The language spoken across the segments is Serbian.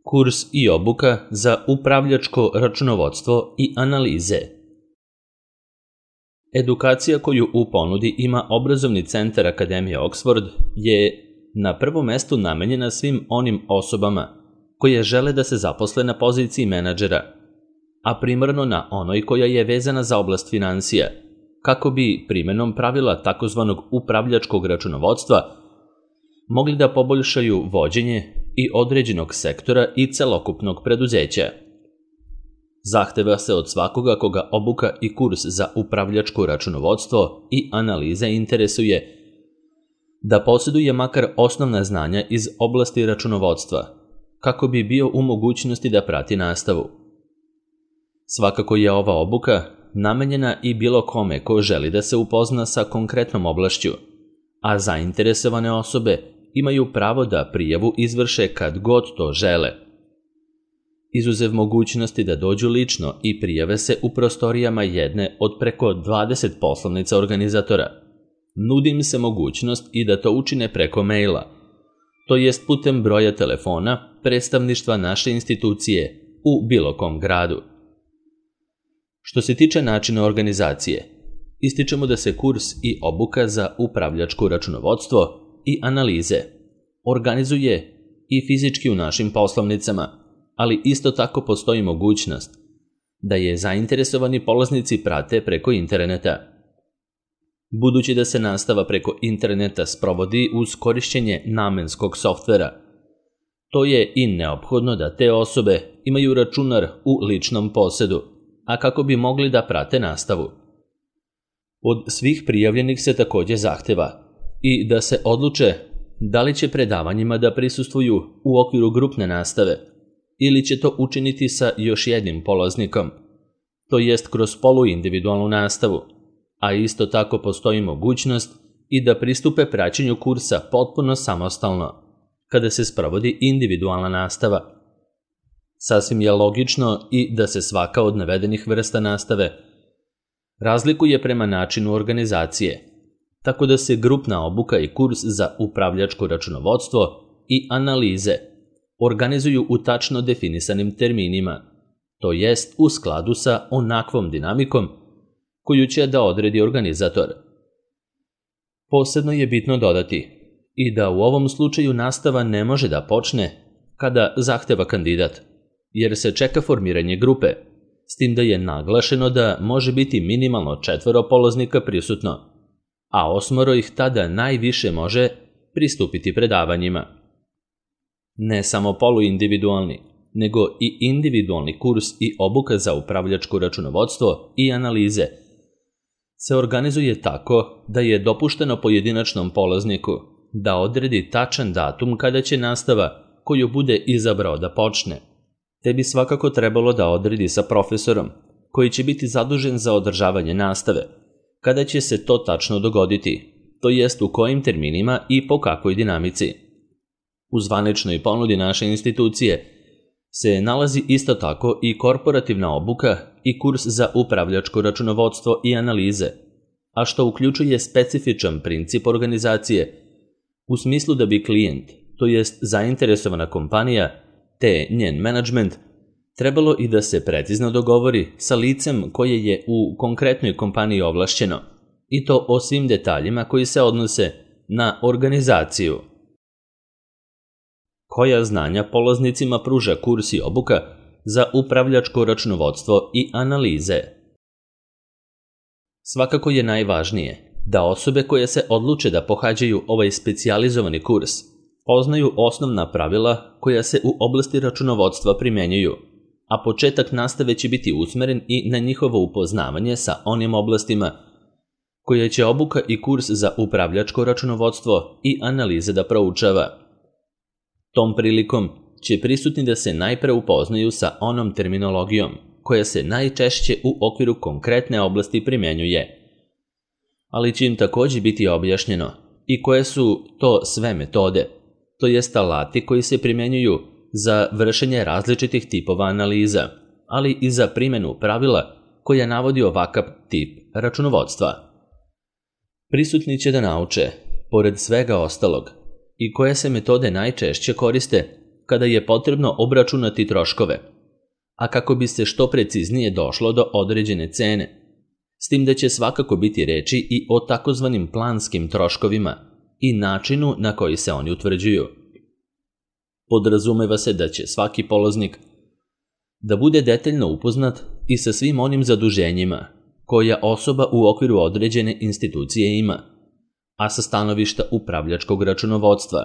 Kurs i obuka za upravljačko računovodstvo i analize. Edukacija koju u ponudi ima obrazovni centar Akademije Oxford je na prvom mestu namenjena svim onim osobama koje žele da se zaposle na poziciji menadžera, a primarno na onoj koja je vezana za oblast finansija, kako bi primenom pravila takozvanog upravljačkog računovodstva mogli da poboljšaju vođenje i određenog sektora i celokupnog preduzeća. Zahteva se od svakoga koga obuka i kurs za upravljačko računovodstvo i analize interesuje da posjeduje makar osnovna znanja iz oblasti računovodstva, kako bi bio u mogućnosti da prati nastavu. Svakako je ova obuka namenjena i bilo kome ko želi da se upozna sa konkretnom oblašću, a zainteresovane osobe imaju pravo da prijavu izvrše kad god to žele. Izuzev mogućnosti da dođu lično i prijave se u prostorijama jedne od preko 20 poslovnica organizatora, nudi im se mogućnost i da to učine preko maila, to jest putem broja telefona predstavništva naše institucije u bilo kom gradu. Što se tiče načina organizacije, ističemo da se kurs i obuka za upravljačko računovodstvo i analize organizuje i fizički u našim poslovnicama, ali isto tako postoji mogućnost da je zainteresovani polaznici prate preko interneta. Budući da se nastava preko interneta sprovodi uz korišćenje namenskog softvera, to je i neophodno da te osobe imaju računar u ličnom posedu, a kako bi mogli da prate nastavu. Od svih prijavljenih se takođe zahteva i da se odluče da li će predavanjima da prisustvuju u okviru grupne nastave ili će to učiniti sa još jednim polaznikom, to jest kroz poluindividualnu nastavu, a isto tako postoji mogućnost i da pristupe praćenju kursa potpuno samostalno, kada se sprovodi individualna nastava. Sasvim je logično i da se svaka od navedenih vrsta nastave razlikuje prema načinu organizacije, tako da se grupna obuka i kurs za upravljačko računovodstvo i analize organizuju u tačno definisanim terminima, to jest u skladu sa onakvom dinamikom koju će da odredi organizator. Posebno je bitno dodati i da u ovom slučaju nastava ne može da počne kada zahteva kandidat, jer se čeka formiranje grupe, s tim da je naglašeno da može biti minimalno 4 polaznika prisutno, a 8 ih tada najviše može pristupiti predavanjima. Ne samo poluindividualni, nego i individualni kurs i obuka za upravljačko računovodstvo i analize se organizuje tako da je dopušteno pojedinačnom polazniku da odredi tačan datum kada će nastava koju bude izabrao da počne, te bi svakako trebalo da odredi sa profesorom koji će biti zadužen za održavanje nastave, kada će se to tačno dogoditi, to jest u kojim terminima i po kakvoj dinamici. U zvaničnoj ponudi naše institucije se nalazi isto tako i korporativna obuka i kurs za upravljačko računovodstvo i analize, a što uključuje specifičan princip organizacije u smislu da bi klijent, to jest zainteresovana kompanija, te njen menadžment, trebalo i da se precizno dogovori sa licem koje je u konkretnoj kompaniji ovlašćeno, i to o svim detaljima koji se odnose na organizaciju. Koja znanja polaznicima pruža kurs i obuka za upravljačko računovodstvo i analize? Svakako je najvažnije da osobe koje se odluče da pohađaju ovaj specijalizovani kurs poznaju osnovna pravila koja se u oblasti računovodstva primenjuju, a početak nastave će biti usmeren i na njihovo upoznavanje sa onim oblastima koje će obuka i kurs za upravljačko računovodstvo i analize da proučava. Tom prilikom će prisutni da se najpre upoznaju sa onom terminologijom koja se najčešće u okviru konkretne oblasti primenjuje, ali će im takođe biti objašnjeno i koje su to sve metode, to jest alati koji se primenjuju za vršenje različitih tipova analiza, ali i za primenu pravila koja navodi ovakav tip računovodstva. Prisutni će da nauče, pored svega ostalog, i koje se metode najčešće koriste kada je potrebno obračunati troškove, a kako bi se što preciznije došlo do određene cene, s tim da će svakako biti reči i o takozvanim planskim troškovima i načinu na koji se oni utvrđuju. Podrazumeva se da će svaki polaznik da bude detaljno upoznat i sa svim onim zaduženjima koja osoba u okviru određene institucije ima, a sa stanovišta upravljačkog računovodstva,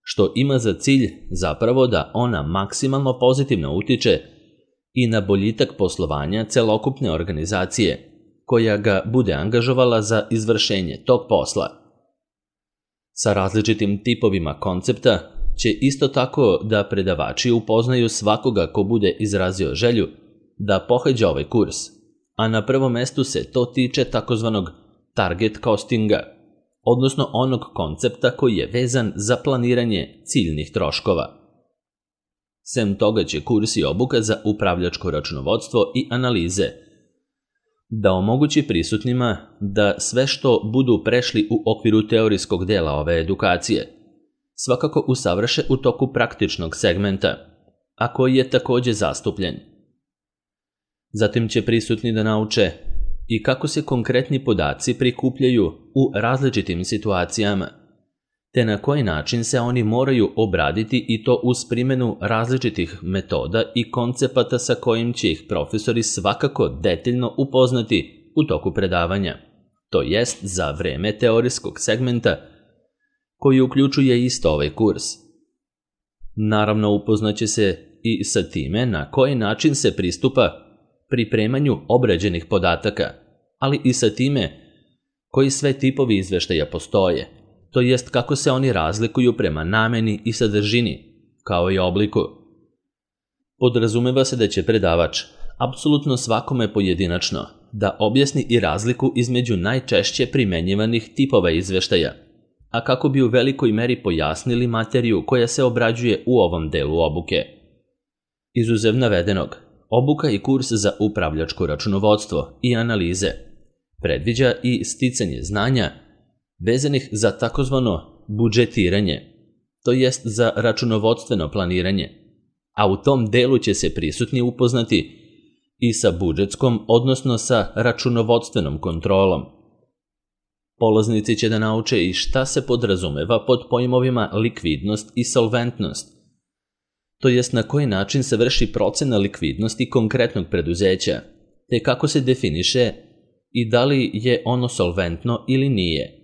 što ima za cilj zapravo da ona maksimalno pozitivno utiče i na boljitak poslovanja celokupne organizacije koja ga bude angažovala za izvršenje tog posla. Sa različitim tipovima koncepta će isto tako da predavači upoznaju svakoga ko bude izrazio želju da pohađa ovaj kurs, a na prvom mestu se to tiče takozvanog target costinga, odnosno onog koncepta koji je vezan za planiranje ciljnih troškova. Sem toga će kurs i obuka za upravljačko računovodstvo i analize da omogući prisutnima da sve što budu prešli u okviru teorijskog dela ove edukacije svakako usavrše u toku praktičnog segmenta, a koji je takođe zastupljen. Zatim će prisutni da nauče i kako se konkretni podaci prikupljaju u različitim situacijama, te na koji način se oni moraju obraditi i to uz primjenu različitih metoda i koncepata sa kojim će ih profesori svakako detaljno upoznati u toku predavanja, to jest za vreme teorijskog segmenta koji uključuje isto ovaj kurs. Naravno, upoznaće se i sa time na koji način se pristupa pripremanju obrađenih podataka, ali i sa time koji sve tipovi izveštaja postoje, to jest kako se oni razlikuju prema nameni i sadržini, kao i obliku. Podrazumeva se da će predavač apsolutno svakome pojedinačno da objasni i razliku između najčešće primenjivanih tipova izveštaja, a kako bi u velikoj meri pojasnili materiju koja se obrađuje u ovom delu obuke. Izuzev navedenog, obuka i kurs za upravljačko računovodstvo i analize predviđa i sticanje znanja vezanih za takozvano budžetiranje, to jest za računovodstveno planiranje, a u tom delu će se prisutni upoznati i sa budžetskom, odnosno sa računovodstvenom kontrolom. Polaznici će da nauče i šta se podrazumeva pod pojmovima likvidnost i solventnost, to jest na koji način se vrši procena likvidnosti konkretnog preduzeća, te kako se definiše i da li je ono solventno ili nije.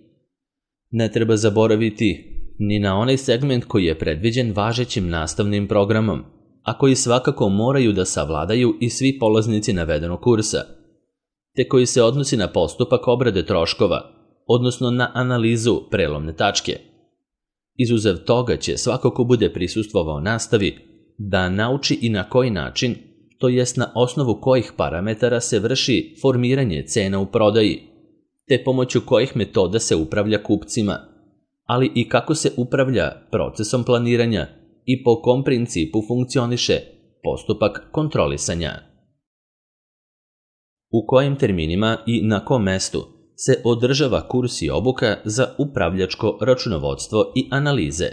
Ne treba zaboraviti ni na onaj segment koji je predviđen važećim nastavnim programom, a koji svakako moraju da savladaju i svi polaznici navedenog kursa, te koji se odnosi na postupak obrade troškova, odnosno na analizu prelomne tačke. Izuzev toga će svako ko bude prisustvovao nastavi da nauči i na koji način, to jest na osnovu kojih parametara se vrši formiranje cena u prodaji, te pomoću kojih metoda se upravlja kupcima, ali i kako se upravlja procesom planiranja i po kom principu funkcioniše postupak kontrolisanja. U kojim terminima i na kom mestu se održava kurs i obuka za upravljačko računovodstvo i analize.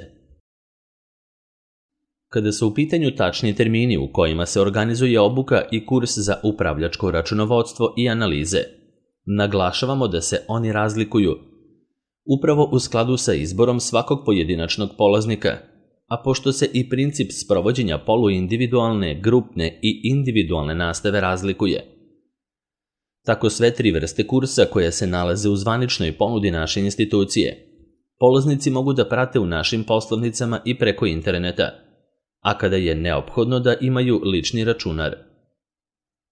Kada su u pitanju tačni termini u kojima se organizuje obuka i kurs za upravljačko računovodstvo i analize, naglašavamo da se oni razlikuju upravo u skladu sa izborom svakog pojedinačnog polaznika, a pošto se i princip sprovođenja poluindividualne, grupne i individualne nastave razlikuje. Tako sve tri vrste kursa koje se nalaze u zvaničnoj ponudi naše institucije, polaznici mogu da prate u našim poslovnicama i preko interneta, a kada je neophodno da imaju lični računar.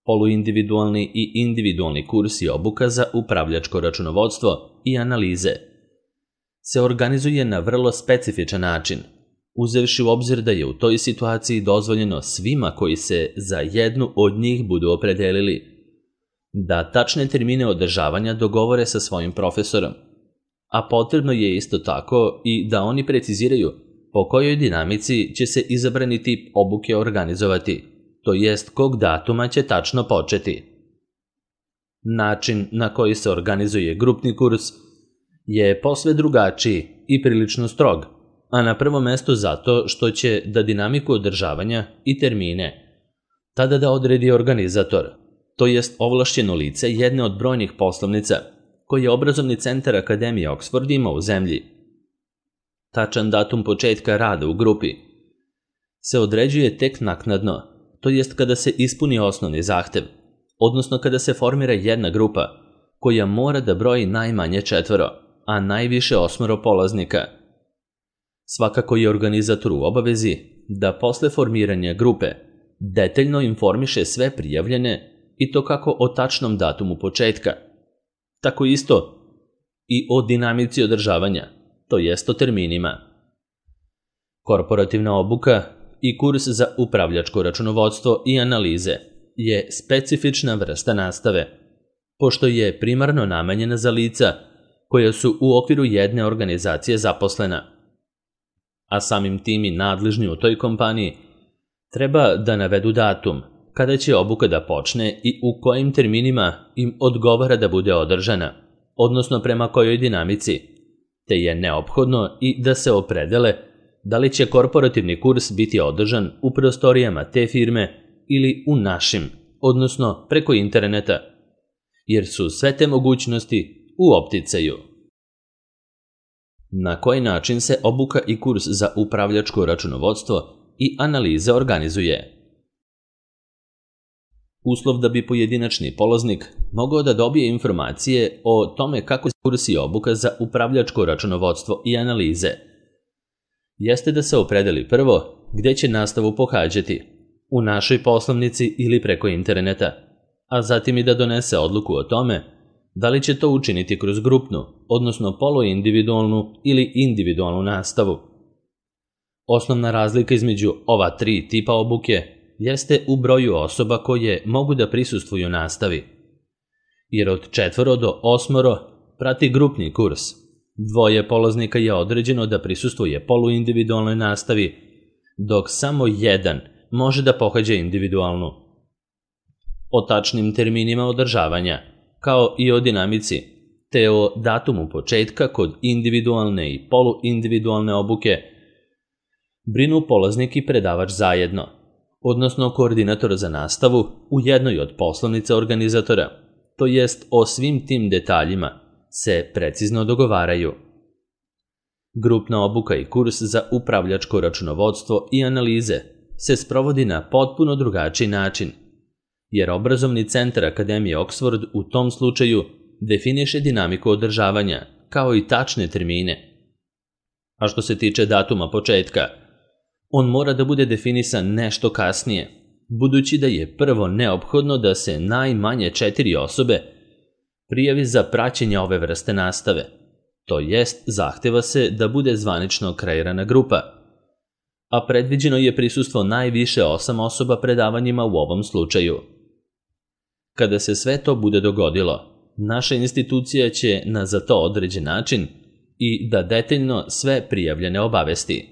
Poluindividualni i individualni kurs i obuka za upravljačko računovodstvo i analize se organizuje na vrlo specifičan način, uzevši u obzir da je u toj situaciji dozvoljeno svima koji se za jednu od njih budu opredelili da tačne termine održavanja dogovore sa svojim profesorom, a potrebno je isto tako i da oni preciziraju po kojoj dinamici će se izabrani tip obuke organizovati, to jest kog datuma će tačno početi. Način na koji se organizuje grupni kurs je posve drugačiji i prilično strog, a na prvom mestu zato što će da dinamiku održavanja i termine tada da odredi organizator, to jest ovlašćeno lice jedne od brojnih poslovnica koje obrazovni centar Akademije Oxford ima u zemlji. Tačan datum početka rada u grupi se određuje tek naknadno, to jest kada se ispuni osnovni zahtev, odnosno kada se formira jedna grupa koja mora da broji najmanje 4, a najviše 8 polaznika. Svakako je organizator u obavezi da posle formiranja grupe detaljno informiše sve prijavljene i to kako o tačnom datumu početka, tako isto i o dinamici održavanja, to jest o terminima. Korporativna obuka i kurs za upravljačko računovodstvo i analize je specifična vrsta nastave, pošto je primarno namenjena za lica koja su u okviru jedne organizacije zaposlena, a samim tim i nadležni u toj kompaniji treba da navedu datum kada će obuka da počne i u kojim terminima im odgovara da bude održana, odnosno prema kojoj dinamici, te je neophodno i da se opredele da li će korporativni kurs biti održan u prostorijama te firme ili u našim, odnosno preko interneta, jer su sve te mogućnosti u opticaju. Na koji način se obuka i kurs za upravljačko računovodstvo i analize organizuje? Uslov da bi pojedinačni polaznik mogao da dobije informacije o tome kako se kurs i obuka za upravljačko računovodstvo i analize jeste da se opredeli prvo gde će nastavu pohađati, u našoj poslovnici ili preko interneta, a zatim i da donese odluku o tome da li će to učiniti kroz grupnu, odnosno poluindividualnu ili individualnu nastavu. Osnovna razlika između ova 3 tipa obuke jeste u broju osoba koje mogu da prisustvuju nastavi, jer od 4 do 8 prati grupni kurs, 2 polaznika je određeno da prisustvuje poluindividualnoj nastavi, dok samo 1 može da pohađa individualnu. O tačnim terminima održavanja, kao i o dinamici, te o datumu početka kod individualne i poluindividualne obuke, brinu polaznik i predavač zajedno, odnosno koordinator za nastavu u jednoj od poslovnica organizatora, to jest o svim tim detaljima se precizno dogovaraju. Grupna obuka i kurs za upravljačko računovodstvo i analize se sprovodi na potpuno drugačiji način, jer obrazovni centar Akademije Oxford u tom slučaju definiše dinamiku održavanja, kao i tačne termine. A što se tiče datuma početka, on mora da bude definisan nešto kasnije, budući da je prvo neophodno da se najmanje 4 osobe prijavi za praćenje ove vrste nastave, to jest zahteva se da bude zvanično kreirana grupa, a predviđeno je prisustvo najviše 8 osoba predavanjima u ovom slučaju. Kada se sve to bude dogodilo, naša institucija će na za to određen način i da detaljno sve prijavljene obavesti.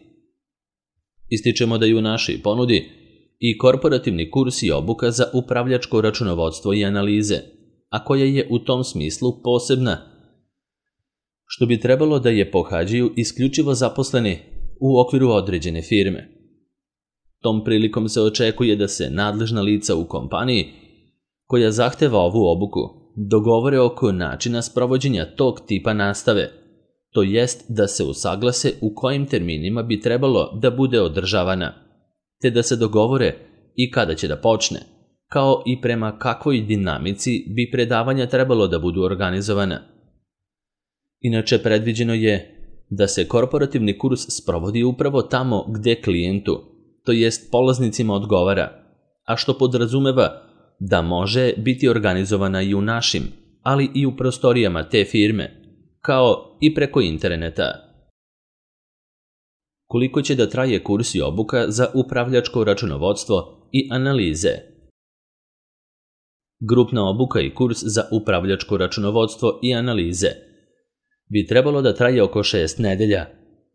Ističemo da je u našoj ponudi i korporativni kurs i obuka za upravljačko računovodstvo i analize, a koja je u tom smislu posebna, što bi trebalo da je pohađaju isključivo zaposleni u okviru određene firme. Tom prilikom se očekuje da se nadležna lica u kompaniji koja zahteva ovu obuku dogovore oko načina sprovođenja tog tipa nastave, to jest da se usaglase u kojim terminima bi trebalo da bude održavana, te da se dogovore i kada će da počne, kao i prema kakvoj dinamici bi predavanja trebalo da budu organizovana. Inače, predviđeno je da se korporativni kurs sprovodi upravo tamo gde klijentu, to jest polaznicima odgovara, a što podrazumeva da može biti organizovana i u našim, ali i u prostorijama te firme, kao i preko interneta. Koliko će da traje kurs i obuka za upravljačko računovodstvo i analize? Grupna obuka i kurs za upravljačko računovodstvo i analize bi trebalo da traje oko 6 nedelja,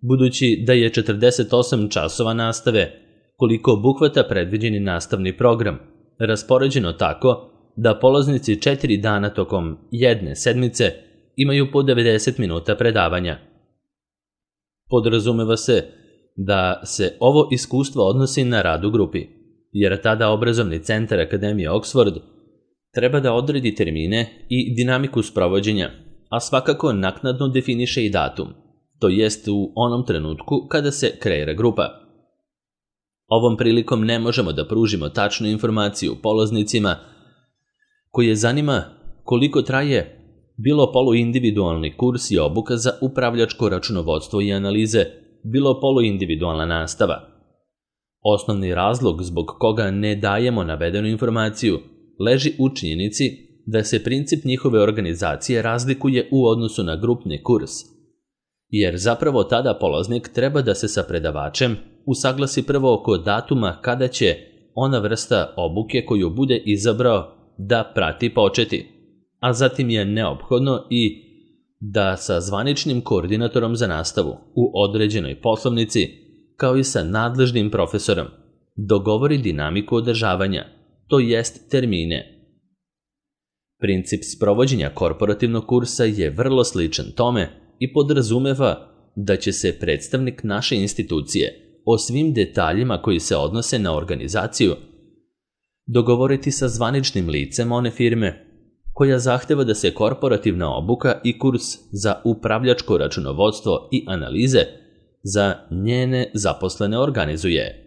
budući da je 48 časova nastave, koliko obuhvata predviđeni nastavni program, raspoređeno tako da polaznici 4 dana tokom jedne sedmice imaju po 90 minuta predavanja. Podrazumeva se da se ovo iskustvo odnosi na rad u grupi, jer tada obrazovni centar Akademije Oxford treba da odredi termine i dinamiku sprovođenja, a svakako naknadno definiše i datum, to jest u onom trenutku kada se kreira grupa. Ovom prilikom ne možemo da pružimo tačnu informaciju polaznicima koje zanima koliko traje bilo poluindividualni kurs i obuka za upravljačko računovodstvo i analize, bilo poluindividualna nastava. Osnovni razlog zbog koga ne dajemo navedenu informaciju leži u činjenici da se princip njihove organizacije razlikuje u odnosu na grupni kurs, jer zapravo tada polaznik treba da se sa predavačem usaglasi prvo oko datuma kada će ona vrsta obuke koju bude izabrao da prati početi, a zatim je neophodno i da sa zvaničnim koordinatorom za nastavu u određenoj poslovnici, kao i sa nadležnim profesorom, dogovori dinamiku održavanja, to jest termine. Princip sprovođenja korporativnog kursa je vrlo sličan tome i podrazumeva da će se predstavnik naše institucije o svim detaljima koji se odnose na organizaciju dogovoriti sa zvaničnim licem one firme koja zahteva da se korporativna obuka i kurs za upravljačko računovodstvo i analize za njene zaposlene organizuje.